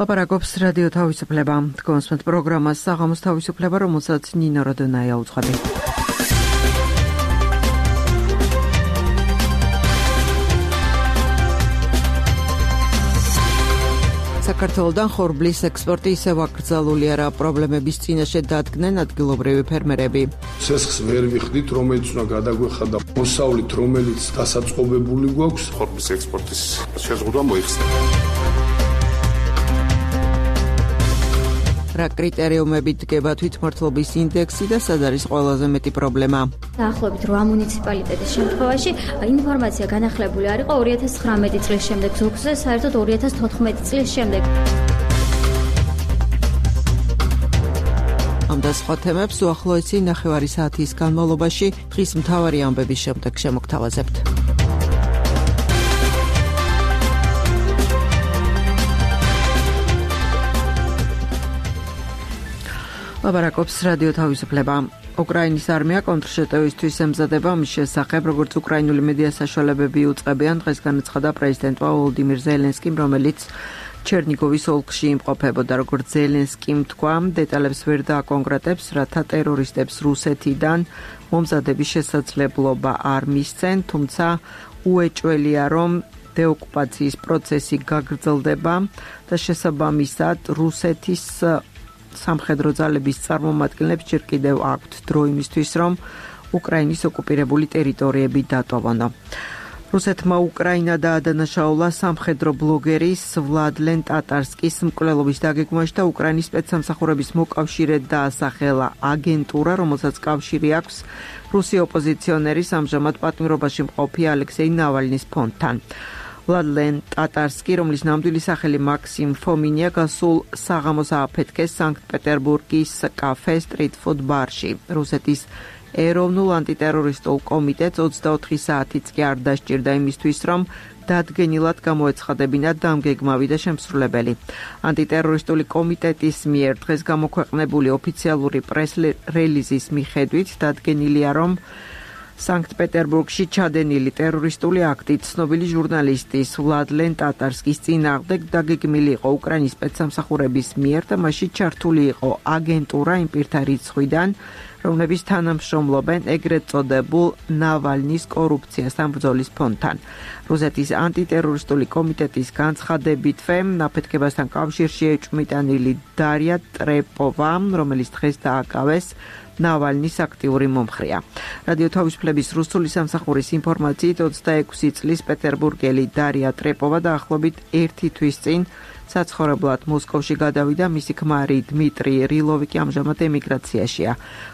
ლაპარაკობს რადიო თავისუფლება. კონსპექტ პროგრამას საღამოს თავისუფლება, რომელსაც ნინო როდონაია უძღვები. საქართველოდან ხორბლის ექსპორტი ისევ აკრძალული არა, პრობლემების წინაშე დადგნენ ადგილობრივი ფერმერები. ცესხს ვერ ვიხდით, რომელიც უნდა გადაგვეხადა მოსავლით, რომელიც დასაწყობებული გვაქვს. ხორბლის ექსპორტის შეზღუდვა მოიხსნა. რა კრიტერიუმებით დგება თვითმმართველობის ინდექსი და სად არის ყველაზე მეტი პრობლემა? დაახლოებით 8 მუნიციპალიტეტის შემთხვევაში ინფორმაცია განახლებული არ იყო 2019 წლის შემდეგ, ზოგზე საერთოდ 2014 წლის შემდეგ. ამ და სხვა თემებს უახლოესი ნახევარი საათის განმავლობაში დღის მთავარი ამბების შემდეგ შემოგთავაზებთ. ლაპარაკობს რადიო თავისუფლება. უკრაინის არმია კონტრშეტევისთვის ემზადება, მის შესახებ, როგორც უკრაინული მედია საშუალებები უწყებიან, დღეს განაცხადა პრეზიდენტმა ვოლოდიმირ ზელენსკიმ, რომელიც ჩერნიგოვის ოლქში იმყოფებოდა. როგორც ზელენსკიმ თქვა, დეტალებს ვერ დააკონკრეტებს, რათა ტერორისტებს რუსეთიდან მომზადების შესაძლებლობა არ მისცენ, თუმცა უეჭველია, რომ დეოკუპაციის პროცესი გაგრძელდება და შესაბამისად რუსეთის სამხედრო ძალების წარმომადგენლებს ჯერ კიდევ აქვთ დრო იმისთვის, რომ უკრაინის ოკუპირებული ტერიტორიები დატოვონ. რუსეთმა უკრაინა დაადანაშაულა სამხედრო ბლოგერის ვლადლენ ტატარსკის მკვლელობის დაგეგმვაში და უკრაინის სპეცსამსახურების მოკავშირედ დაასახელა აგენტურა, რომელსაც კავშირი აქვს რუსი ოპოზიციონერის ამჟამად პატიმრობაში მყოფი ალექსეი ნავალნის ფონდთან. ვლადლენ ტატარსკი, რომლის ნამდვილი სახელი მაქსიმ ფომინია, გასულ საღამოს ააფეთქეს სანქტ-პეტერბურგის კაფე სტრიტ ფუდ ბარში. რუსეთის ეროვნულ ანტიტერორისტულ კომიტეტს 24 საათიც კი არ დასჭირდა იმისთვის, რომ დადგენილად გამოეცხადებინათ დამგეგმავი და შემსრულებელი. ანტიტერორისტული კომიტეტის მიერ დღეს გამოქვეყნებული ოფიციალური პრეს-რელიზის მიხედვით დადგენილია, რომ სანქტ-პეტერბურგში ჩადენილი ტერორისტული აქტი ცნობილი ჟურნალისტის ვლადლენ ტატარსკის წინააღმდეგ დაგეგმილი იყო უკრაინის სპეცსამსახურების მიერ და მასში ჩართული იყო აგენტურა იმ პირთა რიცხვიდან, რომლებიც თანამშრომლობენ ეგრეთ წოდებულ ნავალნის კორუფციასთან ბრძოლის ფონდთან. რუსეთის ანტიტერორისტული კომიტეტის განცხადებითვე აფეთქებასთან კავშირში ეჭვმიტანილი დარია ტრეპოვა, რომელიც დღეს დააკავეს ნავალნის აქტიური მომხრეა. რადიო თავისუფლების რუსული სამსახურის ინფორმაციით 26 წლის პეტერბურგელი დარია ტრეპოვა დაახლოებით 1 თვის წინ საცხოვრებლად მოსკოვში გადავიდა, მისი ქმარი დმიტრი რილოვი კი ამჟამად ემიგრაციაშია.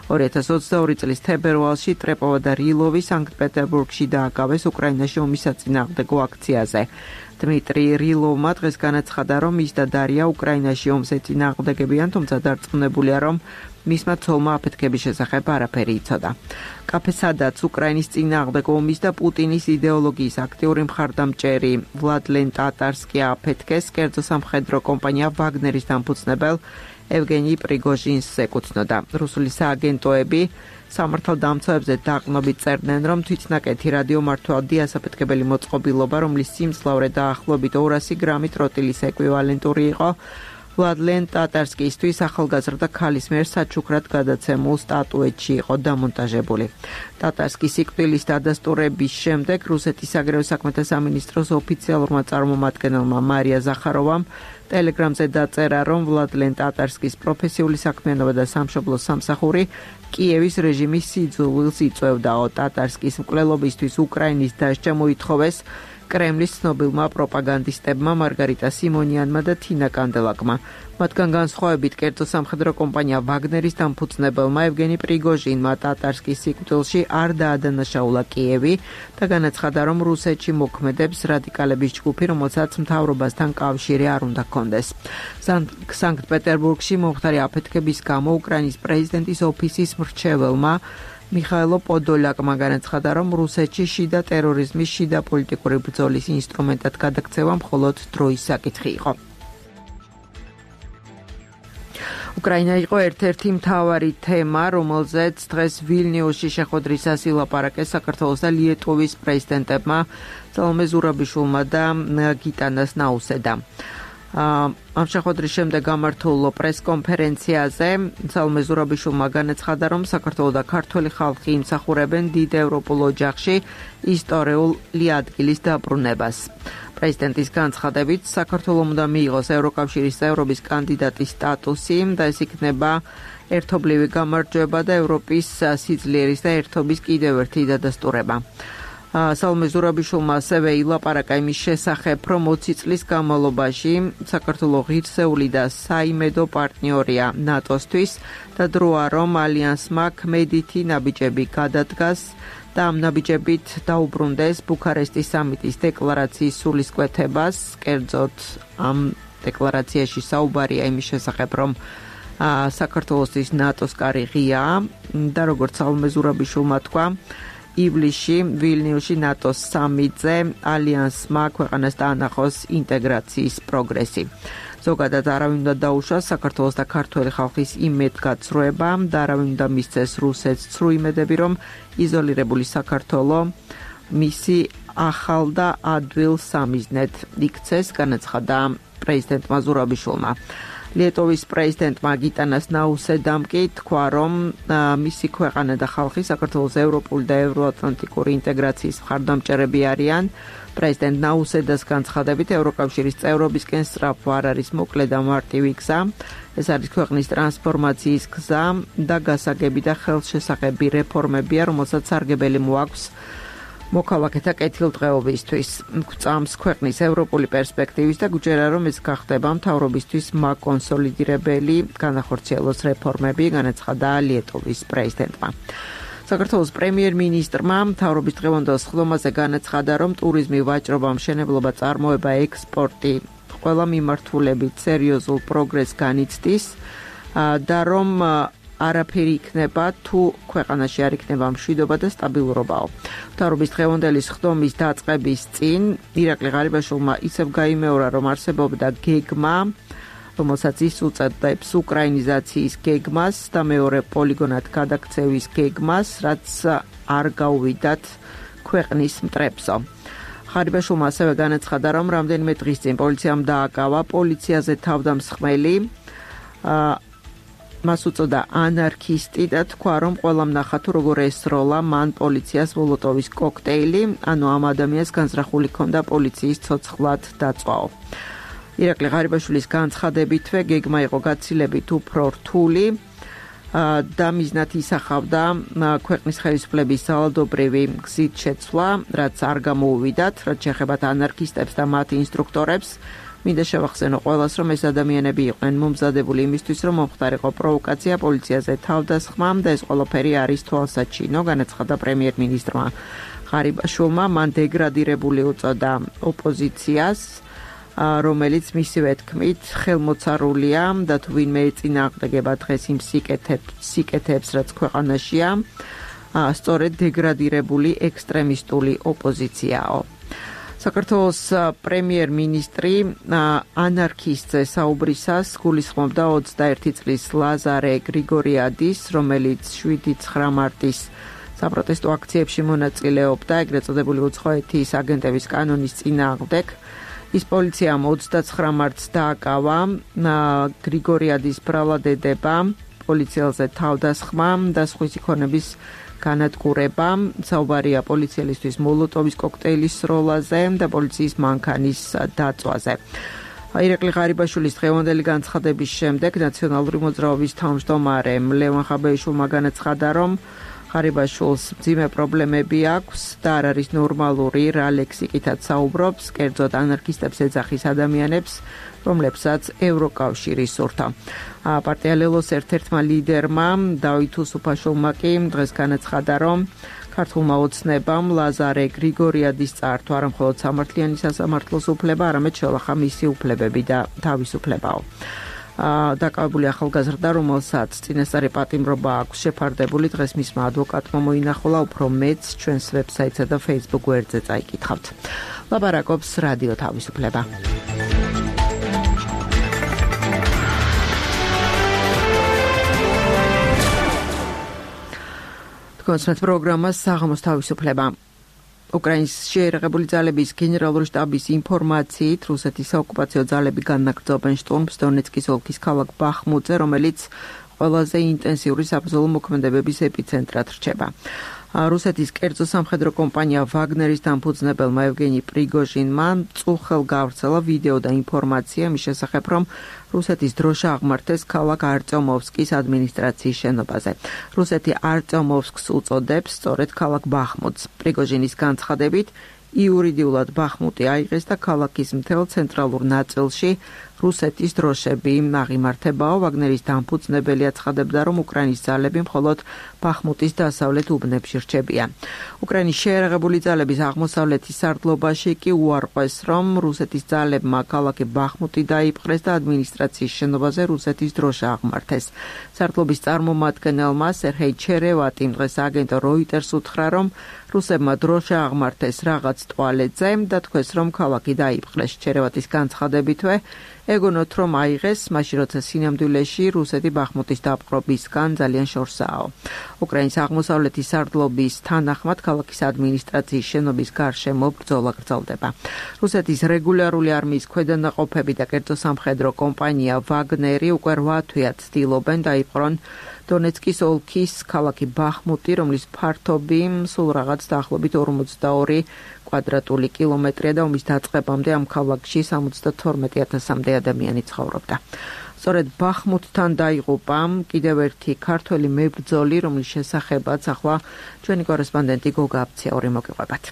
2022 წლის თებერვალში ტრეპოვა და რილოვი სანქტ-პეტერბურგში დააკავეს უკრაინაში ომის საწინააღმდეგო აქციაზე. დმიტრი რილოვმა დღეს განაცხადა, რომ ის და დარია უკრაინაში ომს ეწინააღმდეგებიან, თუმცა დარწმუნებულია, რომ მისმა ცოლმა აფეთქების შესახებ არაფერი იცოდა. კაფე, სადაც უკრაინის წინააღმდეგ ომის და პუტინის იდეოლოგიის აქტიური მხარდამჭერი ვლადლენ ტატარსკი აფეთქეს, კერძო სამხედრო კომპანია ვაგნერის დამფუძნებელ ევგენი პრიგოჟინს ეკუთვნოდა. რუსული სააგენტოები სამართალდამცავებზე დაყრდნობით წერდნენ, რომ თვითნაკეთი რადიომართვადი ასაფეთქებელი მოწყობილობა, რომლის სიმძლავრე დაახლოებით 200 გრამი ტროტილის ეკვივალენტური იყო, ვლადლენ ტატარსკისთვის ახალგაზრდა ქალის მიერ საჩუქრად გადაცემულ სტატუეტში იყო დამონტაჟებული. ტატარსკის სიკვდილის დადასტურების შემდეგ რუსეთის საგარეო საქმეთა სამინისტროს ოფიციალურმა წარმომადგენელმა მარია ზახაროვამ ტელეგრამზე დაწერა, რომ ვლადლენ ტატარსკის პროფესიული საქმიანობა და სამშობლოს სამსახური კიევის რეჟიმის სიძულვილს იწვევდაო. ტატარსკის მკვლელობისთვის უკრაინის დასჯა მოითხოვეს კრემლის ცნობილმა პროპაგანდისტებმა მარგარიტა სიმონიანმა და თინა კანდელაკმა. მათგან განსხვავებით კერძო სამხედრო კომპანია ვაგნერის დამფუძნებელმა ევგენი პრიგოჟინმა ტატარსკის სიკვდილში არ დაადანაშაულა კიევი და განაცხადა, რომ რუსეთში მოქმედებს რადიკალების ჯგუფი, რომელსაც მთავრობასთან კავშირი არ უნდა ჰქონდეს. სანქტ-პეტერბურგში მომხდარი აფეთქების გამო უკრაინის პრეზიდენტის ოფისის მრჩეველმა მიხაილო პოდოლაკმა განაცხადა, რომ რუსეთში შიდა ტერორიზმის, შიდა პოლიტიკური ბრძოლის ინსტრუმენტად გადაქცევა მხოლოდ დროის საკითხი იყო. უკრაინა იყო ერთ-ერთი მთავარი თემა, რომელზეც დღეს ვილნიუსში შეხვედრისას ილაპარაკეს საქართველოს და ლიეტუვის პრეზიდენტებმა სალომე ზურაბიშვილმა და გიტანას ნაუსედამ. ამ შეხვედრის შემდეგ გამართულ პრესკონფერენციაზე სალომე ზურაბიშვილმა განაცხადა, რომ საქართველო და ქართველი ხალხი იმსახურებენ დიდ ევროპულ ოჯახში ისტორიული ადგილის დაბრუნებას. პრეზიდენტის განცხადებით, საქართველომ უნდა მიიღოს ევროკავშირის წევრობის კანდიდატის სტატუსი და ეს იქნება ერთობლივი გამარჯვება და ევროპის სიძლიერის და ერთობის კიდევ ერთი დადასტურება. სალომე ზურაბიშვილმა ასევე ილაპარაკა იმის შესახებ, რომ 20 წლის განმავლობაში საქართველო ღირსეული და საიმედო პარტნიორია ნატოსთვის და დროა, რომ ალიანსმა ქმედითი ნაბიჯები გადადგას და ამ ნაბიჯებით დაუბრუნდეს ბუქარესტის სამიტის დეკლარაციის სულისკვეთებას. კერძოდ, ამ დეკლარაციაში საუბარია იმის შესახებ, რომ საქართველოსთვის ნატოს კარი ღიაა და როგორც სალომე ზურაბიშვილმა თქვა, ივლისში ვილნიუსში ნატოს სამიტზე ალიანსმა ქვეყანას დაანახოს ინტეგრაციის პროგრესი. ზოგადად არავინ უნდა დაუშვას საქართველოს და ქართველი ხალხის იმედგაცრუება და არავინ უნდა მისცეს რუსეთს ცრუ იმედები, რომ იზოლირებული საქართველო მისი ახალ და ადვილ სამიზნედ იქცეს, განაცხადა პრეზიდენტმა ზურაბიშვილმა. ლიეტოვის პრეზიდენტმა გიტანას ნაუსედამ კი თქვა, რომ მისი ქვეყანა და ხალხი საქართველოს ევროპული და ევროატლანტიკური ინტეგრაციის მხარდამჭერები არიან. პრეზიდენტ ნაუსედას განცხადებით, ევროკავშირის წევრობისკენ სწრაფვა არ არის მოკლე და მარტივი გზა. ეს არის ქვეყნის ტრანსფორმაციის გზა და გასაგები და ხელშესახები რეფორმებია, რომელსაც სარგებელი მოაქვს მოქალაქეთა კეთილდღეობისთვის. გვწამს ქვეყნის ევროპული პერსპექტივის და გვჯერა, რომ ეს გახდება მთავრობისთვის მაკონსოლიდირებელი განახორციელოს რეფორმები, განაცხადა ლიეტოვის პრეზიდენტმა. საქართველოს პრემიერ-მინისტრმა მთავრობის დღევანდელ სხდომაზე განაცხადა, რომ ტურიზმი, ვაჭრობა, მშენებლობა, წარმოება, ექსპორტი ყველა მიმართულებით სერიოზულ პროგრესს განიცდის და რომ არაფერი იქნება თუ ქვეყანაში არ იქნება მშვიდობა და სტაბილურობაო. მთავრობის დღევანდელი სხდომის დაწყების წინ ირაკლი ღარიბაშვილმა ისევ გაიმეორა, რომ არსებობდა გეგმა, რომელსაც ის უწოდებს უკრაინიზაციის გეგმას და მეორე პოლიგონად გადაქცევის გეგმას, რაც არ გაუვიდათ ქვეყნის მტრებსო. ღარიბაშვილმა ასევე განაცხადა, რომ რამდენიმე დღის წინ პოლიციამ დააკავა პოლიციაზე თავდამსხმელი, მას უწოდა ანარქისტი და თქვა, რომ ყველამ ნახა თუ როგორ ესროლა მან პოლიციას მოლოტოვის კოქტეილი, ანუ ამ ადამიანს განზრახული ჰქონდა პოლიციის ცოცხლად დაწვაო. ირაკლი ღარიბაშვილის განცხადებითვე გეგმა იყო გაცილებით უფრო რთული და მიზნად ისახავდა ქვეყნის ხელისუფლების ძალადობრივი გზით შეცვლა, რაც არ გამოუვიდათ, რაც შეეხებათ ანარქისტებს და მათ ინსტრუქტორებს. მინდა შევახსენო ყველას, რომ ეს ადამიანები იყვნენ მომზადებული იმისთვის, რომ მომხდარიყო პროვოკაცია პოლიციაზე თავდასხმა და ეს ყველაფერი არის თვალსაჩინო, განაცხადა პრემიერ-მინისტრმა ღარიბაშვილმა. მან დეგრადირებული უწოდა ოპოზიციას, რომელიც მისივე თქმით ხელმოცარულია და თუ ვინმე ეწინააღმდეგება დღეს იმ სიკეთეებს, რაც ქვეყანაშია, სწორედ დეგრადირებული ექსტრემისტული ოპოზიციაო. საქართველოს პრემიერ-მინისტრი ანარქისტზე საუბრისას გულისხმობდა 21 წლის ლაზარე გრიგორიადის, რომელიც 7-9 მარტის საპროტესტო აქციებში მონაწილეობდა, ეგრეთ წოდებული უცხოეთის აგენტების კანონის წინააღმდეგ. ის პოლიციამ 29 მარტს დააკავა გრიგორიადის ბრალადედება, პოლიციელზე თავდასხმა და სხვისი ქონების განადგურება. საუბარია პოლიციელისთვის მოლოტოვის კოქტეილის სროლაზე და პოლიციის მანქანის დაწვაზე. ირაკლი ღარიბაშვილის დღევანდელი განცხადების შემდეგ ნაციონალური მოძრაობის თავმჯდომარე ლევან ხაბეიშვილმა განაცხადა, რომ ღარიბაშვილს მძიმე პრობლემები აქვს და არ არის ნორმალური რა ლექსიკითაც საუბრობს, კერძოდ ანარქისტებს ეძახის ადამიანებს, რომლებსაც ევროკავშირი სურთა. პარტია ლელოს ერთ-ერთმა ლიდერმა დავით უსუფაშვილმა კი დღეს განაცხადა, რომ ქართულმა ოცნებამ ლაზარე გრიგორიადის წართვა არა მხოლოდ სამართლიანი სასამართლოს უფლება, არამედ შელახა მისი უფლებები და თავისუფლებაო. დაკავებული ახალგაზრდა, რომელსაც წინასწარი პატიმრობა აქვს შეფარდებული, დღეს მისმა ადვოკატმა მოინახულა, უფრო მეც ჩვენს ვებსაიტსა და Facebook გვერდზე წაიკითხავთ. ლაპარაკობს რადიო თავისუფლება. კონცერტ პროგრამა საღამოს თავისუფლება. უკრაინის შეიარაღებული ძალების გენერალური შტაბის ინფორმაციით, რუსეთის საოკუპაციო ძალები განაგრძობენ შტურმს დონეცკის ოლქის ქალაქ ბახმუტზე, რომელიც ყველაზე ინტენსიური საბრძოლო მოქმედებების ეპიცენტრად რჩება. რუსეთის კერძო სამხედრო კომპანია ვაგნერის დამფუძნებელმა ევგენი პრიგოჟინმა წუხელ გავრცელა ვიდეო და ინფორმაცია მის შესახებ, რომ რუსეთის დროშა აღმართეს ქალაქ არტემოვსკის ადმინისტრაციის შენობაზე. რუსეთი არტემოვსკს უწოდებს სწორედ ქალაქ ბახმუტს. პრიგოჟინის განცხადებით, იურიდიულად ბახმუტი აიღეს და ქალაქის მთელ ცენტრალურ ნაწილში რუსეთის დროშები აღიმართებაო. ვაგნერის დამფუძნებელი აცხადებდა, რომ უკრაინის ძალები მხოლოდ ბახმუტის დასავლეთ უბნებში რჩებიან. უკრაინის შეიარაღებული ძალების აღმოსავლეთის სარდლობაში კი უარყვეს, რომ რუსეთის ძალებმა ქალაქი ბახმუტი დაიპყრეს და ადმინისტრაციის შენობაზე რუსეთის დროშა აღმართეს. სარდლობის წარმომადგენელმა სერჰეი ჩერევატიმ დღეს აგენტო როიტერს უთხრა, რომ რუსებმა დროშა აღმართეს რაღაც ტუალეტზე და თქვეს, რომ ქალაქი დაიპყრეს. ჩერევატის განცხადებითვე ეგონოთ, რომ აიღეს, მაშინ როცა სინამდვილეში რუსეთი ბახმუტის დაპყრობისგან ძალიან შორსაა. უკრაინის აღმოსავლეთის სარდლობის თანახმად ქალაქის ადმინისტრაციის შენობის გარშემო ბრძოლა გრძელდება. რუსეთის რეგულარული არმიის ქვედანაყოფები და კერძო სამხედრო კომპანია ვაგნერი უკვე 8 თვეა ცდილობენ დაიპყრონ დონეცკის ოლქის ქალაქი ბახმუტი, რომლის ფართობი სულ რაღაც დაახლოებით 42 კვადრატული კილომეტრია და ომის დაწყებამდე ამ ქალაქში 72,000-მდე ადამიანი ცხოვრობდა. სწორედ ბახმუტთან დაიღუპა კიდევ ერთი ქართველი მებრძოლი, რომლის შესახებაც ახლა ჩვენი კორესპონდენტი გოგა აფციაური მოგიყვებათ.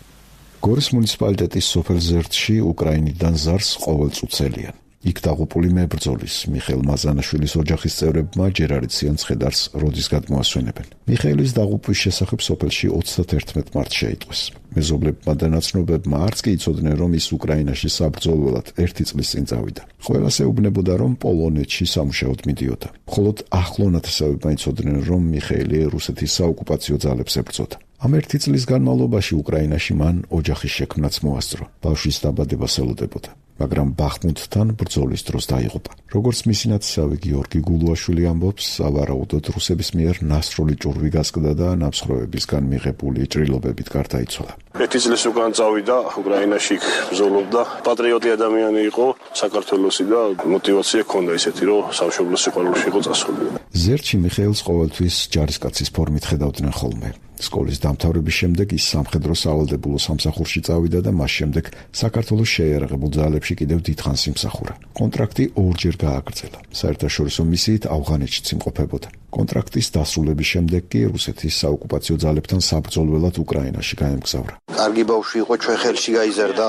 გორის მუნიციპალიტეტის სოფელ ზერთში უკრაინიდან ზარს ყოველწუთს ელიან. იქ დაღუპული მებრძოლის მიხეილ მაზანაშვილის ოჯახის წევრებმა ჯერ არ იციან ცხედარს როდის გადმოასვენებენ. მიხეილის დაღუპვის შესახებ სოფელში 31 მარტს შეიტყვეს. მეზობლებმა და ნაცნობებმა არც კი იცოდნენ, რომ ის უკრაინაში საბრძოლველად 1 წლის წინ წავიდა. ყველას ეუბნებოდა, რომ პოლონეთში სამუშაოდ მიდიოდა. მხოლოდ ახლო ნათესავებმა იცოდნენ, რომ მიხეილი რუსეთის საოკუპაციო ძალებს ებრძოდა. ამ 1 წლის განმავლობაში უკრაინაში მან ოჯახის შექმნაც მოასწრო. ბავშვის დაბადება ელოდებოდა. მაგრამ ბახმუტთან ბრძოლის დროს დაიღუპა. როგორც მისი ნათესავი გიორგი გულუაშვილი ამბობს, სავარაუდოდ რუსების მიერ ნასროლი ჭურვი გასკდა და ნამსხვრევებისგან მიღებული ჭრილობებით გარდაიცვალა. 1 წლის უკან წავიდა უკრაინაში ბრძოლობდა. პატრიოტი ადამიანი იყო საქართველოსი და мотиваცია ჰქონდა ისეთი, რომ სამშობლოს სიყვარულში იყო წასული. ზერთში მიხეილს ყოველთვის ჯარისკაცის ფორმით ხედავდნენ ხოლმე. სკოლის დამთავრების შემდეგ ის სამხედრო სავალდებულო სამსახურში წავიდა და მას შემდეგ საქართველოს შეიარაღებულ ძალებში კიდევ დიდხანს იმსახურა. კონტრაქტი 2-ჯერ გააგრძელა. საერთაშორისო მისიით ავღანეთშიც იმყოფებოდა. კონტრაქტის დასრულების შემდეგ კი რუსეთის საოკუპაციო ძალებთან საბრძოლველად უკრაინაში გაემგზავრა. კარგი ბავშვი იყო, ჩვენ ხელში გაიზარდა,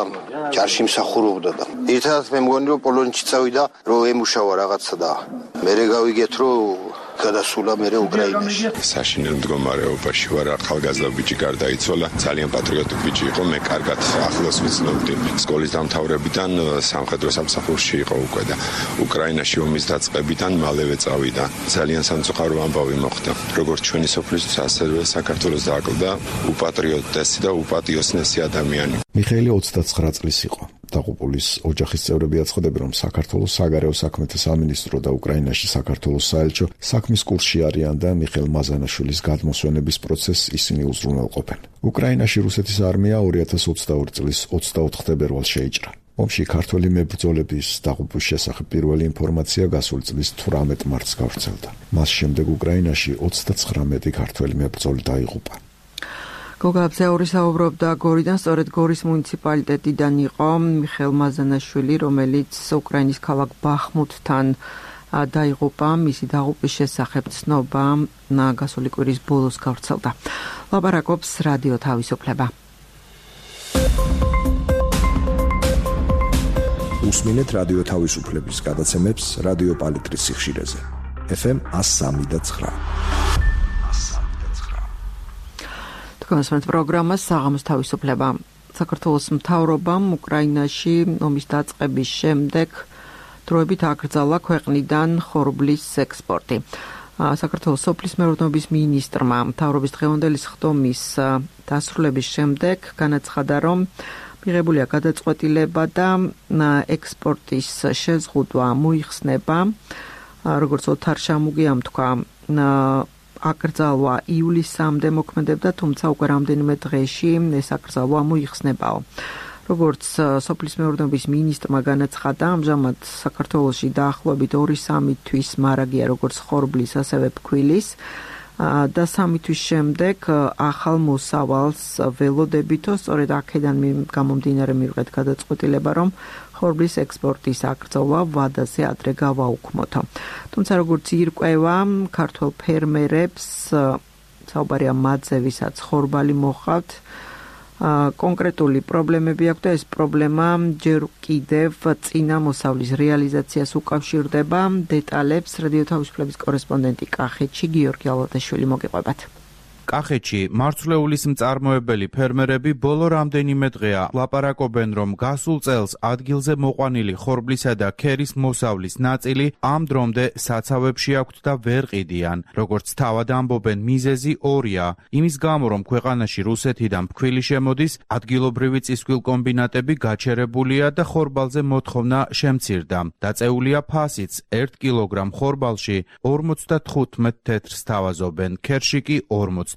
ჯარში მსახურობდა და ერთადაც მე მგონი რომ პოლონეთში წავიდა, რომ ემუშავა რაღაცა და მე გავიგეთ რომ გადასულა მე უკრაინაში. საშინელ მდგომარეობაში ვარ, ახალგაზრდა ბიჭი გარდაიცვალა, ძალიან პატრიოტი ბიჭი იყო, მე კარგად ახლოს ვიცნობდი. სკოლის დამთავრებიდან სამხედრო სამსახურში იყო უკვე და უკრაინაში ომის დაწყებიდან მალევე წავიდა. ძალიან სამწუხარო ამბავი მოხდა. როგორც ჩვენი სოფლისთვის, ასევე საქართველოს დააკლდა უპატრიოტესი და უპატიოსნესი ადამიანი. მიხეილი 29 წლის იყო. დაღუპულის ოჯახის წევრები აცხადებენ, რომ საქართველოს საგარეო საქმეთა სამინისტრო და უკრაინაში საქართველოს საელჩო საქმის კურსში არიან და მიხეილ მაზანაშვილის გადმოსვენების პროცესს ისინი უზრუნველყოფენ. უკრაინაში რუსეთის არმია 2022 წლის 24 თებერვალს შეიჭრა. ომში ქართველი მებრძოლების დაღუპვის შესახებ პირველი ინფორმაცია გასული წლის 18 მარტს გავრცელდა. მას შემდეგ უკრაინაში 39 ქართველი მებრძოლი დაიღუპა. გოგა აფციაური საუბრობდა გორიდან, სწორედ გორის მუნიციპალიტეტიდან იყო მიხეილ მაზანაშვილი, რომელიც უკრაინის ქალაქ ბახმუტთან დაიღუპა. მისი დაღუპვის შესახებ ცნობა გასული კვირის ბოლოს გავრცელდა. ლაპარაკობს რადიო თავისუფლება. უსმინეთ რადიო თავისუფლების გადაცემებს რადიო პალიტრის სიხშირეზე. FM 103.9. კონსერვატ პროგრამას საღამოს თავისუფლება. საქართველოს მთავრობამ უკრაინაში ომის დაწყების შემდეგ დროებით აკრძალა ქვეყნიდან ხორბლის ექსპორტი. საქართველოს სოფლის მეურნეობის მინისტრმა მთავრობის დღევანდელი სხდომის დასრულების შემდეგ განაცხადა, რომ მიღებულია გადაწყვეტილება და ექსპორტის შეზღუდვა მოიხსნება. როგორც ოთარ შამუგიამ თქვა, აკრძალვა ივლისამდე მოქმედებდა, თუმცა უკვე რამდენიმე დღეში ეს აკრძალვა მოიხსნებაო. როგორც სოფლის მეურნეობის მინისტრმა განაცხადა, ამჟამად საქართველოში დაახლოებით 2-3 თვის მარაგია როგორც ხორბლის, ასევე ფქვილის და 3 თვის შემდეგ ახალ მოსავალს ველოდებითო, სწორედ აქედან გამომდინარე მივიღეთ გადაწყვეტილება, რომ ხორბლის ექსპორტის აკრძალვა ვადაზე ადრე გავაუქმოთო. თუმცა როგორც ირკვევა ქართველ ფერმერებს, საუბარია მათზე, ვისაც ხორბალი მოჰყავთ, კონკრეტული პრობლემები აქვს და ეს პრობლემა ჯერ კიდევ წინა მოსავლის რეალიზაციას უკავშირდება. დეტალებს რადიო თავისუფლების კორესპონდენტი კახეთში გიორგი ალოდაშვილი მოგიყვებათ. კახეთში მარცვლეულის მწარმოებელი ფერმერები ბოლო რამდენიმე დღეა ლაპარაკობენ, რომ გასულ წელს ადგილზე მოყვანილი ხორბლისა და ქერის მოსავლის ნაწილი ამ დრომდე საცავებში აქვთ და ვერ ყიდიან. როგორც თავად ამბობენ, მიზეზი ორია. იმის გამო, რომ ქვეყანაში რუსეთიდან ფქვილი შემოდის, ადგილობრივი წისქვილ კომბინატები გაჩერებულია და ხორბალზე მოთხოვნა შემცირდა. დაწეულია ფასიც 1 კილოგრამ ხორბალში 55 თეთრს თავაზობენ, ქერში კი 40.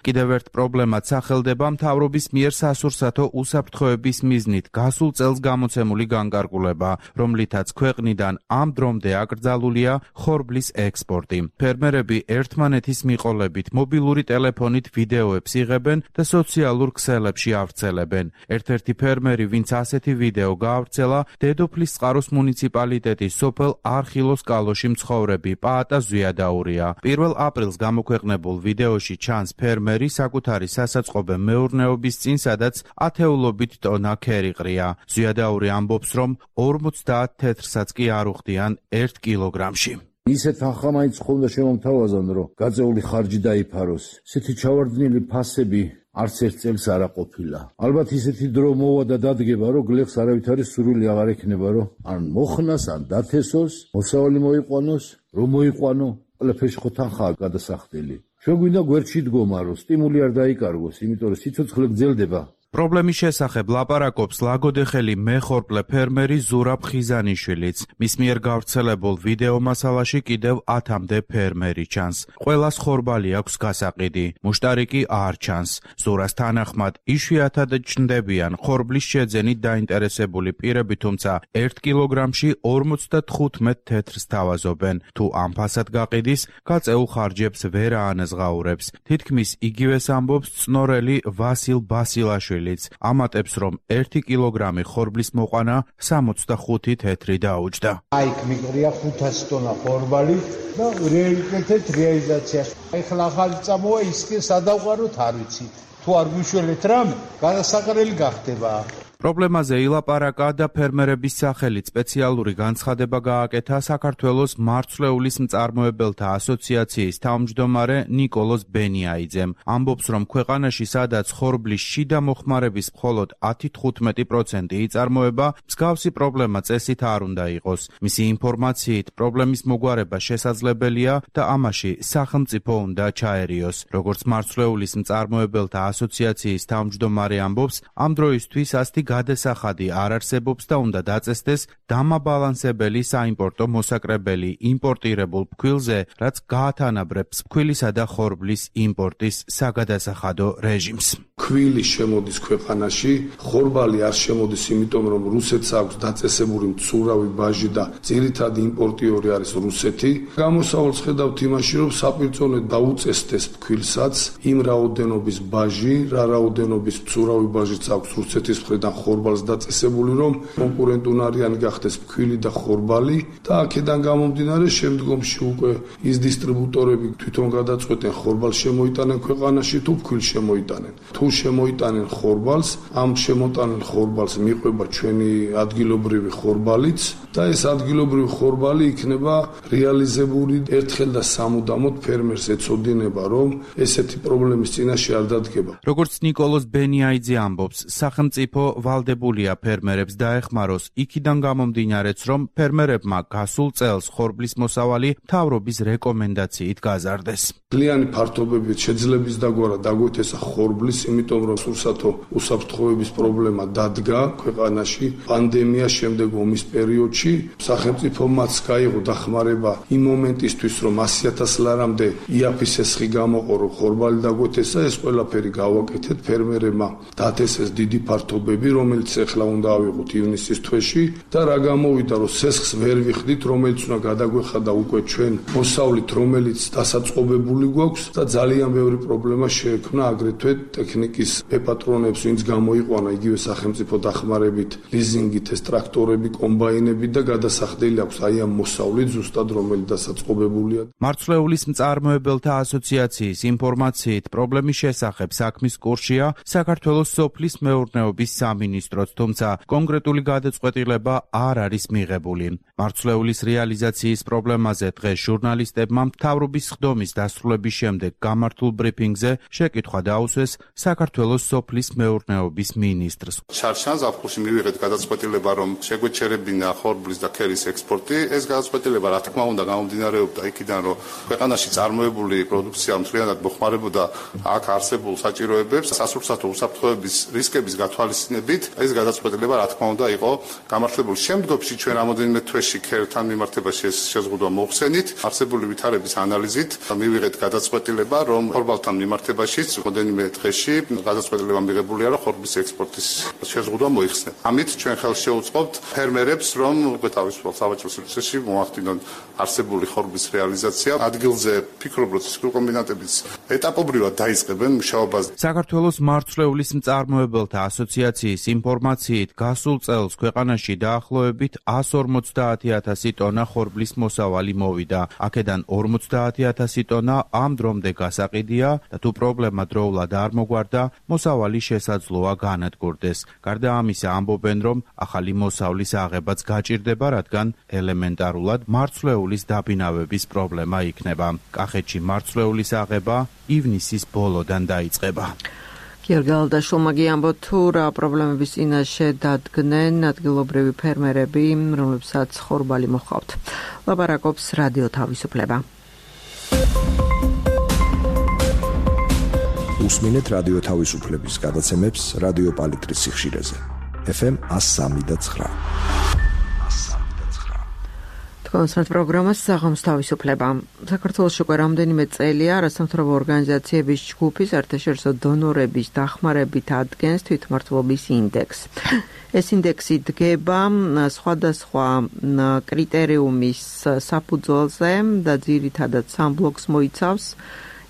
კიდევ ერთ პრობლემად სახელდება მთავრობის მიერ სასურსათო უსაფრთხოების მიზნით გასულ წელს გამოცემული განკარგულება, რომლითაც ქვეყნიდან ამ დრომდე აკრძალულია ხორბლის ექსპორტი. ფერმერები ერთმანეთის მიყოლებით მობილური ტელეფონით ვიდეოებს იღებენ და სოციალურ ქსელებში ავრცელებენ. ერთ-ერთი ფერმერი, ვინც ასეთი ვიდეო გაავრცელა, დედოფლის წყაროს მუნიციპალიტეტის სოფელ არხილოს კალოში მცხოვრები პაატა ზვიადაურია. 1 აპრილს გამოქვეყნებულ ვიდეოში ჩანს ფერმერი საკუთარი სასაწყობე მეურნეობის წინ, სადაც ათეულობით ტონა ქერი ყრია. ზვიადაური ამბობს, რომ 50 თეთრსაც კი არ უხდიან 1 კილოგრამში. ისეთ ახლა მაინც ხომ და შემომთავაზან, რომ გაწეული ხარჯი დაიფაროს. ესეთი ჩავარდნილი ფასები არც ერთ წელს არ აყოფილა. ალბათ ისეთი დრო მოვა და დადგება, რომ გლეხს არავითარი სურვილი აღარ ექნება, რომ ან მოხნას, ან დათესოს, მოსავალი მოიყვანოს, რომ მოიყვანო, ყველაფერში ხო თანხაა გადასახდელი. ჩვენ გვინდა გვერდში დგომა, რომ სტიმული არ დაიკარგოს, იმიტომ რომ სიცოცხლე გრძელდება. პრობლემის შესახებ ლაპარაკობს ლაგოდეხელი მეხორბლე ფერმერი ზურაბ ხიზანიშვილიც. მის მიერ გავრცელებულ ვიდეო მასალაში კიდევ 10-მდე ფერმერი ჩანს. ყველას ხორბალი აქვს გასაყიდი, მუშტარი კი არ ჩანს. ზურას თანახმად იშვიათად ჩნდებიან ხორბლის შეძენით დაინტერესებული პირები, თუმცა 1 კილოგრამში 55 თეთრს თავაზობენ. თუ ამ ფასად გაყიდის, გაწეულ ხარჯებს ვერ აანაზღაურებს. თითქმის იგივეს ამბობს წნორელი ვასილ ბასილაშვილი. ამატებს, რომ 1 კილოგრამი ხორბლის მოყვანა 65 თეთრი დაუჯდა. აიქ მიყრია 500 ტონა ხორბალი და რეალიტეტით რეალიზაციას. ეხლა ახალი წამოა, ის კი სადავყაროთ არ ვიცით. თუ არ გვიშველეთ რამე, გადასაყრელი გახდება. პრობლემაზე ილაპარაკა და ფერმერების სახელით სპეციალური განცხადება გააკეთა საქართველოს მარცვლეულის მწარმოებელთა ასოციაციის თავმჯდომარე ნიკოლოზ ბენიაიძემ. ამბობს, რომ ქვეყანაში სადაც ხორბლის შიდა მოხმარების მხოლოდ 10-15% იწარმოება, მსგავსი პრობლემა წესით არ უნდა იყოს. მისი ინფორმაციით, პრობლემის მოგვარება შესაძლებელია და ამაში სახელმწიფო უნდა ჩაერიოს. როგორც მარცვლეულის მწარმოებელთა ასოციაციის თავმჯდომარე ამბობს, ამ დროისთვის ასეთი გადასახადი არ არსებობს და უნდა დაწესდეს დამაბალანსებელი საიმპორტო მოსაკრებელი იმპორტირებულ ფქვილზე, რაც გაათანაბრებს ფქვილისა და ხორბლის იმპორტის საგადასახადო რეჟიმს. ფქვილი შემოდის ქვეყანაში, ხორბალი არ შემოდის, იმიტომ რომ რუსეთს აქვს დაწესებული მცურავი ბაჟი და ძირითადი იმპორტიორი არის რუსეთი. გამოსავალს ხედავთ იმაში, რომ საპირწონე დაუწესდეს ფქვილსაც იმ რაოდენობის ბაჟი, რა რაოდენობის მცურავი ბაჟიც აქვს რუსეთის მხრიდან ხორბალს დაწესებული, რომ კონკურენტუნარიანი გახდეს ფქვილი და ხორბალი და აქედან გამომდინარე შემდგომში უკვე ის დისტრიბუტორები თვითონ გადაწყვეტენ ხორბალს შემოიტანენ ქვეყანაში თუ ფქვილს შემოიტანენ. თუ შემოიტანენ ხორბალს, ამ შემოტანილ ხორბალს მიყვება ჩვენი ადგილობრივი ხორბალიც და ეს ადგილობრივი ხორბალი იქნება რეალიზებული ერთხელ და სამუდამოდ ფერმერს ეცოდინება, რომ ესეთი პრობლემის წინაშე არ დადგება. როგორც ნიკოლოზ ბენიაიძე ამბობს, სახელმწიფო ვალდებულია ფერმერებს დაეხმაროს, იქიდან გამომდინარეც, რომ ფერმერებმა გასულ წელს ხორბლის მოსავალი მთავრობის რეკომენდაციით გაზარდეს. Ძალიან ფართობებით შეძლების დაგვარა დაგვეთესა ხორბლის, იმიტომ იმიტომ რომ სურსათო უსაფრთხოების პრობლემა დადგა ქვეყანაში პანდემიას შემდეგ ომის პერიოდში. სახელმწიფომაც გაიღო დახმარება იმ მომენტისთვის, რომ 100,000 ლარამდე იაფის ესხი გამოყო, რომ ხორბალი დაგვეთესა, ეს ყველაფერი გავაკეთეთ, ფერმერებმა დათესეს დიდი ფართობები, რომელიც ახლა უნდა ავიღოთ ივნისის თვეში და რა გამოვიდა, რომ სესხს ვერ ვიხდით, რომელიც უნდა გადაგვეხადა უკვე ჩვენ მოსავლით, რომელიც დასაწყობებული გვაქვს და ძალიან ბევრი პრობლემა შეექმნა აგრეთვე ტექნიკის პეპატრონებს, ვინც გამოიყვანა იგივე სახელმწიფო დახმარებით, ლიზინგით ეს ტრაქტორები, კომბაინები და გადასახდელი აქვს აი ამ მოსავლით ზუსტად რომელიც დასაწყობებულია. მარცვლეულის მწარმოებელთა ასოციაციის ინფორმაციით პრობლემის შესახებ საქმის კურსია საქართველოს სოფლის მეურნეობის სამინისტროც, თუმცა კონკრეტული გადაწყვეტილება არ არის მიღებული. მარცვლეულის რეალიზაციის პრობლემაზე დღეს ჟურნალისტებმა მთავრობის ხდომის დასრულების შემდეგ გამართულ ბრიფინგზე შეკითხვა დაუსვეს საქართველოს სოფლის მეურნეობის მინისტრს. შარშან ზაფხულში მივიღეთ გადაწყვეტილება, რომ შეგვეჩერებინა ხორბლის და ქერის ექსპორტი. ეს გადაწყვეტილება რა თქმა უნდა გამომდინარეობდა იქიდან, რომ ქვეყანაში წარმოებული პროდუქცია მთლიანად მოხმარებოდა აქ არსებულ საჭიროებებს, სასურსათო უსაფრთხოების რისკების გათვალისწინებით. ეს გადაწყვეტილება რა თქმა უნდა იყო გამართლებული. შემდგომში ჩვენ რამოდენიმე თვეში ქერთან მიმართებაში ეს შეზღუდვა მოხსენით. არსებული ვითარების ანალიზით მივიღეთ გადაწყვეტილება, რომ ხორბალთან მიმართებაშიც რამოდენიმე დღეში გადაწყვეტილება მიღებულია, რომ ხორბლის ექსპორტის შეზღუდვა მოიხსნათ. ამით ჩვენ ხელს შევუწყობთ ფერმერებს, რომ უკვე თავისუფალ სავაჭრო სივრცეში მოახდინონ არსებული ხორბლის რეალიზაცია. ადგილზე ფიქრობ, რომ ცისკრო კომბინატებიც ეტაპობრივად დაიწყებენ მუშაობას. საქართველოს მარცვლეულის მწარმოებელთა ასოციაციის ინფორმაციით გასულ წელს ქვეყანაში დაახლოებით 150,000 ტონა ხორბლის მოსავალი მოვიდა. აქედან 50,000 ტონა ამ დრომდე გასაყიდია და თუ პრობლემა დროულად არ მოგვარდა, მოსავალი შესაძლოა განადგურდეს. გარდა ამისა ამბობენ, რომ ახალი მოსავლის აღებაც გაჭირდება, რადგან ელემენტარულად მარცვლეულის დაბინავების პრობლემა იქნება. კახეთში მარცვლეულის აღება ივნისის ბოლოდან დაიწყება. გიორგალდაშვილმა გიამბო თუ რა პრობლემების წინაშე დადგნენ ადგილობრივი ფერმერები, რომლებსაც ხორბალი მოჰყავთ. ლაპარაკობს რადიო თავისუფლება. უსმინეთ რადიო თავისუფლების გადაცემებს რადიო პალიტრის სიხშირეზე. FM 103.9. კონსერტ პროგრამას საღამოს თავისუფლება. საქართველოში უკვე რამდენიმე წელია არასამთავრობო ორგანიზაციების ჯგუფი საერთაშორისო დონორების დახმარებით ადგენს თვითმმართველობის ინდექსს. ეს ინდექსი დგება სხვადასხვა კრიტერიუმის საფუძველზე და ძირითადად სამ ბლოკს მოიცავს: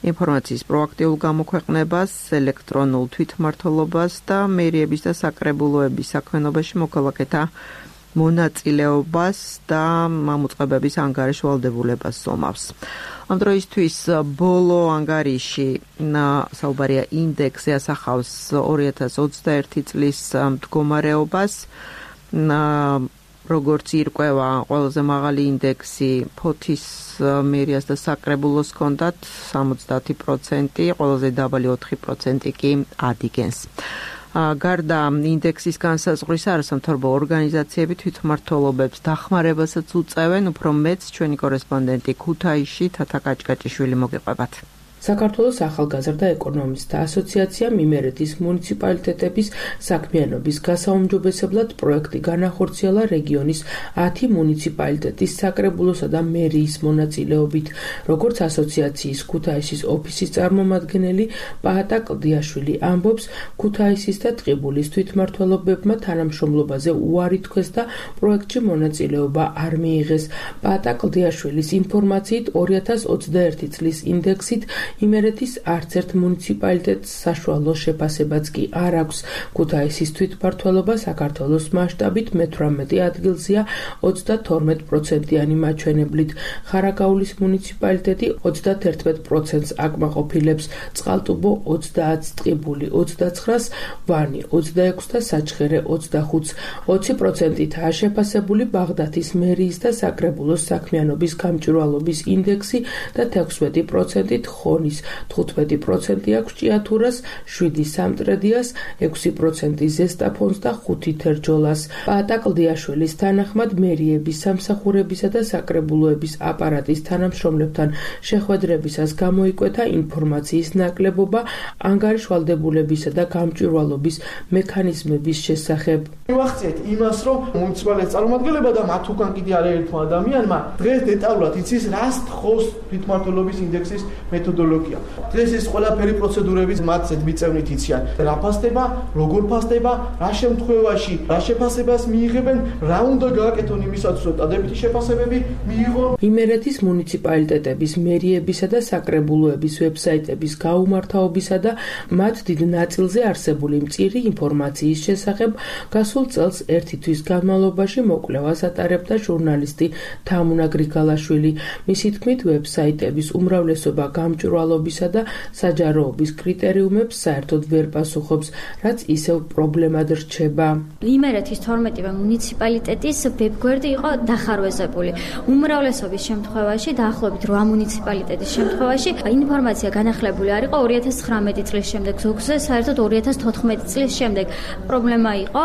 ინფორმაციის პროაქტიულ გამოქვეყნებას, ელექტრონულ თვითმმართველობას და მერიების და საკრებულოების საქმიანობაში მოქალაქეთა მონაწილეობას და მამოწყებების ანგარიშ ვალდებულებას ზომავს. ამ დროისთვის ბოლო ანგარიში საუბარია ინდექსზე ასახავს 2021 წლის მდგომარეობას. როგორც ირკვევა, ყველაზე მაღალი ინდექსი ფოთის მერიას და საკრებულოს ჰქონდათ 70%, ყველაზე დაბალი 4% კი ადიგენს. გარდა ინდექსის განსაზღვრისა, არასამთავრობო ორგანიზაციები თვითმმართველობებს დახმარებასაც უწევენ, უფრო მეც ჩვენი კორესპონდენტი ქუთაისში თათა კაჭკაჭიშვილი მოგიყვებათ. საქართველოს ახალგაზრდა ეკონომისტთა ასოციაციამ იმერეთის მუნიციპალიტეტების საქმიანობის გასაუმჯობესებლად პროექტი განახორციელა რეგიონის 10 მუნიციპალიტეტის საკრებულოსა და მერიის მონაწილეობით. როგორც ასოციაციის ქუთაისის ოფისის წარმომადგენელი პაატა კლდიაშვილი ამბობს, ქუთაისის და ტყიბულის თვითმმართველობებმა თანამშრომლობაზე უარი თქვეს და პროექტში მონაწილეობა არ მიიღეს. პაატა კლდიაშვილის ინფორმაციით 2021 წლის ინდექსით იმერეთის არც ერთ მუნიციპალიტეტს საშუალო შეფასებაც კი არ აქვს. ქუთაისის თვითმმართველობა საქართველოს მასშტაბით მე-18 ადგილზეა 32%-იანი მაჩვენებლით. ხარაგაულის მუნიციპალიტეტი 31%-ს აკმაყოფილებს, წყალტუბო 30-ს, ტყიბული 29-ს, ვანი 26-ს და საჩხერე 25-ს. 20%-ითაა შეფასებული ბაღდათის მერიის და საკრებულოს საქმიანობის გამჭვირვალობის ინდექსი და 16%-ით ლიონის 15% აქვს ჭიათურას, 7 სამტრედიას, 6% ზესტაფონს და 5 თერჯოლას. პაატა კლდიაშვილის თანახმად მერიების სამსახურებისა და საკრებულოების აპარატის თანამშრომლებთან შეხვედრებისას გამოიკვეთა ინფორმაციის ნაკლებობა ანგარიშვალდებულებისა და გამჭვირვალობის მექანიზმების შესახებ. მივახციეთ იმას, რომ მუნიციპალიტეტის წარმომადგენლებმა და მათ უკან კიდე არაერთმა ადამიანმა დღეს დეტალურად იცის, რას თხოვს თვითმმართველობის ინდექსის მეთოდოლოგია. დღეს ეს ყველაფერი პროცედურები მათზე მიწევნით იციან. რა ფასდება, როგორ ფასდება, რა შემთხვევაში, რა შეფასებას მიიღებენ, რა უნდა გააკეთონ იმისათვის, რომ დადებითი შეფასებები მიიღონ. იმერეთის მუნიციპალიტეტების, მერიებისა და საკრებულოების ვებსაიტების გაუმართავობისა და მათ დიდ ნაწილზე არსებული მწირი ინფორმაციის შესახებ გასულ წელს ერთი თვის განმავლობაში მოკვლევას ატარებდა ჟურნალისტი თამუნა გრიგალაშვილი. მისი თქმით, ვებსაიტების უმრავლესობა გამჭვირვალობისა და საჯაროობის კრიტერიუმებს საერთოდ ვერ პასუხობს, რაც ისევ პრობლემად რჩება. იმერეთის 12 მუნიციპალიტეტის ვებგვერდი იყო დახარვეზებული. უმრავლესობის შემთხვევაში, დაახლოებით 8 მუნიციპალიტეტის შემთხვევაში, ინფორმაცია განახლებული არ იყო 2019 წლის შემდეგ, ზოგზე საერთოდ 2014 წლის შემდეგ. პრობლემა იყო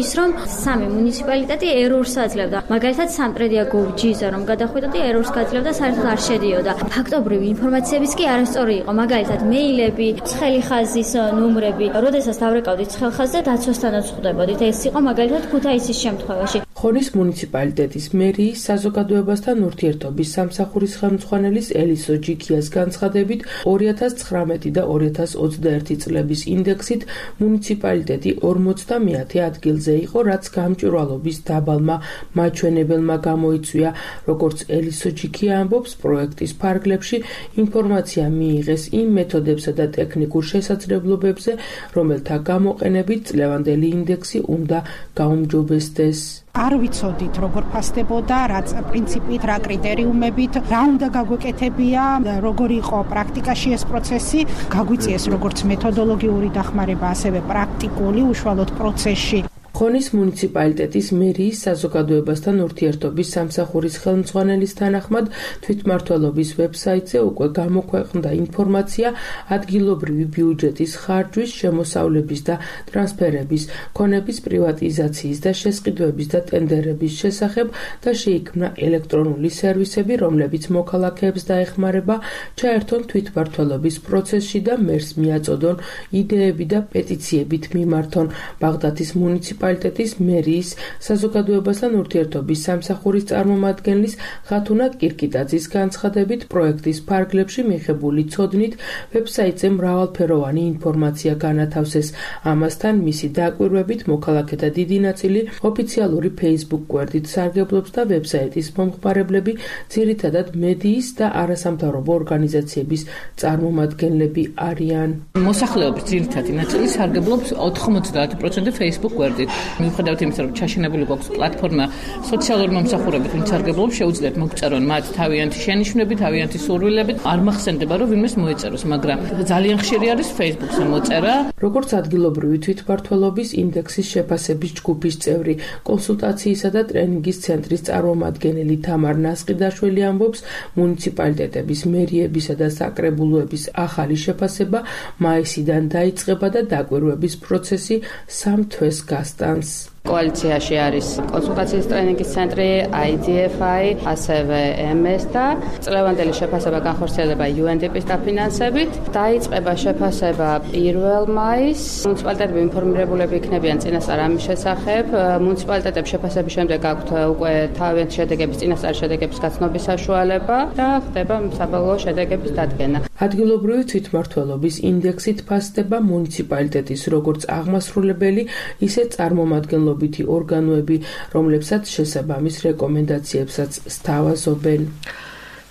ის, რომ 3 მუნიციპალიტეტი ერორს აძლევდა. მაგალითად, სამტრედია გოვჯიზა რომ გადახვიდოდი, ერორს გაძლევდა, საერთოდ არ შედიოდა. ფაქტობრივი ინფორმაციებიც კი არასწორი იყო. მაგალითად, მეილები, ცხელი ხაზის ნომრები, როდესაც დავრეკავდით ცხელ ხაზზე, დაცვასთანაც ხვდებოდით. ეს იყო მაგალითად ქუთაისის შემთხვევაში. ხონის მუნიციპალიტეტის მერიის საზოგადოებასთან ურთიერთობის სამსახურის ხელმძღვანელის ელისო ჯიქიას განცხადებით, 2019 და 2021 წლების ინდექსით მუნიციპალიტეტი 50-მე ადგილზე იყო, რაც გამჭვირვალობის დაბალმა მაჩვენებელმა გამოიწვია. როგორც ელისო ჯიქია ამბობს, პროექტის ფარგლებში ინფორმაცია მიიღეს იმ მეთოდებსა და ტექნიკურ შესაძლებლობებზე, რომელთა გამოყენებით წლევანდელი ინდექსი უნდა გაუმჯობესდეს. არ ვიცოდით, როგორ ფასდებოდა, რა პრინციპით, რა კრიტერიუმებით, რა უნდა გაგვეკეთებია, როგორ იყო პრაქტიკაში ეს პროცესი, გაგვიწიეს როგორც მეთოდოლოგიური დახმარება, ასევე პრაქტიკული უშუალოდ პროცესში. ხონის მუნიციპალიტეტის მერიის საზოგადოებასთან ურთიერთობის სამსახურის ხელმძღვანელის თანახმად, თვითმმართველობის ვებსაიტზე უკვე გამოქვეყნდა ინფორმაცია ადგილობრივი ბიუჯეტის ხარჯვის, შემოსავლების და ტრანსფერების, ქონების პრივატიზაციის და შესყიდვების და ტენდერების შესახებ და შეიქმნა ელექტრონული სერვისები, რომლებიც მოქალაქეებს დაეხმარება ჩაერთონ თვითმმართველობის პროცესში და მერს მიაწოდონ იდეები და პეტიციებით მიმართონ. ბაღდათის მუნიციპალიტეტის მერიის საზოგადოებასთან ურთიერთობის სამსახურის წარმომადგენლის ხათუნა კირკიტაძის განცხადებით, პროექტის ფარგლებში მიღებული ცოდნით ვებსაიტზე მრავალფეროვანი ინფორმაცია განათავსეს. ამასთან მისი დაკვირვებით მოქალაქეთა დიდი ნაწილი ოფიციალური Facebook გვერდით სარგებლობს და ვებსაიტის მომხმარებლები ძირითადად მედიის და არასამთავრობო ორგანიზაციების წარმომადგენლები არიან. მოსახლეობის ძირითადი ნაწილი სარგებლობს 90% Facebook გვერდით. მიუხედავად იმისა, რომ ჩაშენებული გვაქვს პლატფორმა სოციალური მომსახურებით, ვინც სარგებლობს, შეუძლიათ მოგწერონ მათ თავიანთი შენიშვნები, თავიანთი სურვილები. არ მახსენდება, რომ ვინმეს მოეწეროს, მაგრამ ძალიან ხშირი არის Facebook-ზე მოწერა. როგორც ადგილობრივი თვითმმართველობის ინდექსის შეფასების ჯგუფის წევრი, კონსულტაციისა და ტრენინგის ცენტრის წარმომადგენელი თამარ ნასყიდაშვილი ამბობს, მუნიციპალიტეტების, მერიებისა და საკრებულოების ახალი შეფასება მაისიდან დაიწყება და დაკვირვების პროცესი 3 თვეს გასტანს. კოალიციაში არის კონსულტაციის ტრენინგის ცენტრი, IDFI, ასევე MS და წლევანდელი შეფასება განხორციელდება UNDP-ის დაფინანსებით. დაიწყება შეფასება 1 მაისს. მუნიციპალიტეტები ინფორმირებულები იქნებიან წინასწარ ამის შესახებ. მუნიციპალიტეტებს შეფასების შემდეგ აქვთ უკვე თავიანთი შედეგების, წინასწარი შედეგების გაცნობის საშუალება და ხდება საბოლოო შედეგების დადგენა. ადგილობრივი თვითმმართველობის ინდექსით ფასდება მუნიციპალიტეტის როგორც აღმასრულებელი, ისე წარმომადგენლობითი ორგანოები, რომლებსაც შესაბამის რეკომენდაციებსაც სთავაზობენ.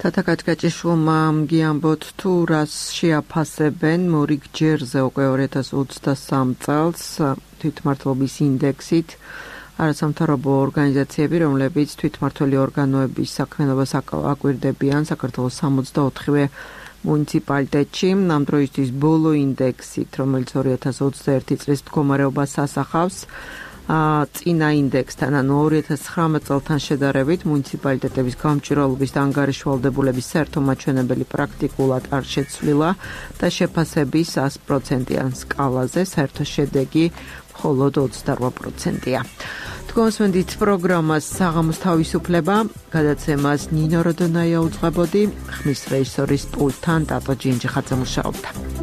თათა კაჭკაჭიშვილმა გიამბოთ თუ რას შეაფასებენ მორიგ ჯერზე უკვე 2023 წელს თვითმმართველობის ინდექსით არასამთავრობო ორგანიზაციები, რომლებიც თვითმმართველი ორგანოების საქმიანობას აკვირდებიან საქართველოს 64-ვე მუნიციპალიტეტში. ამ დროისთვის ბოლო ინდექსით, რომელიც 2021 წლის მდგომარეობას ასახავს, წინა ინდექსთან, ანუ 2019 წელთან შედარებით მუნიციპალიტეტების გამჭვირვალობის და ანგარიშვალდებულების საერთო მაჩვენებელი პრაქტიკულად არ შეცვლილა და შეფასების 100%-იან სკალაზე საერთო შედეგი მხოლოდ 28%-ია. თქვენსვენდით პროგრამას საღამოს თავისუფლება, გადაცემას ნინო როდონაია უძღვებოდი, ხმის რეჟისორის პულტთან ტატო ჯინჯიხაძე მუშაობდა.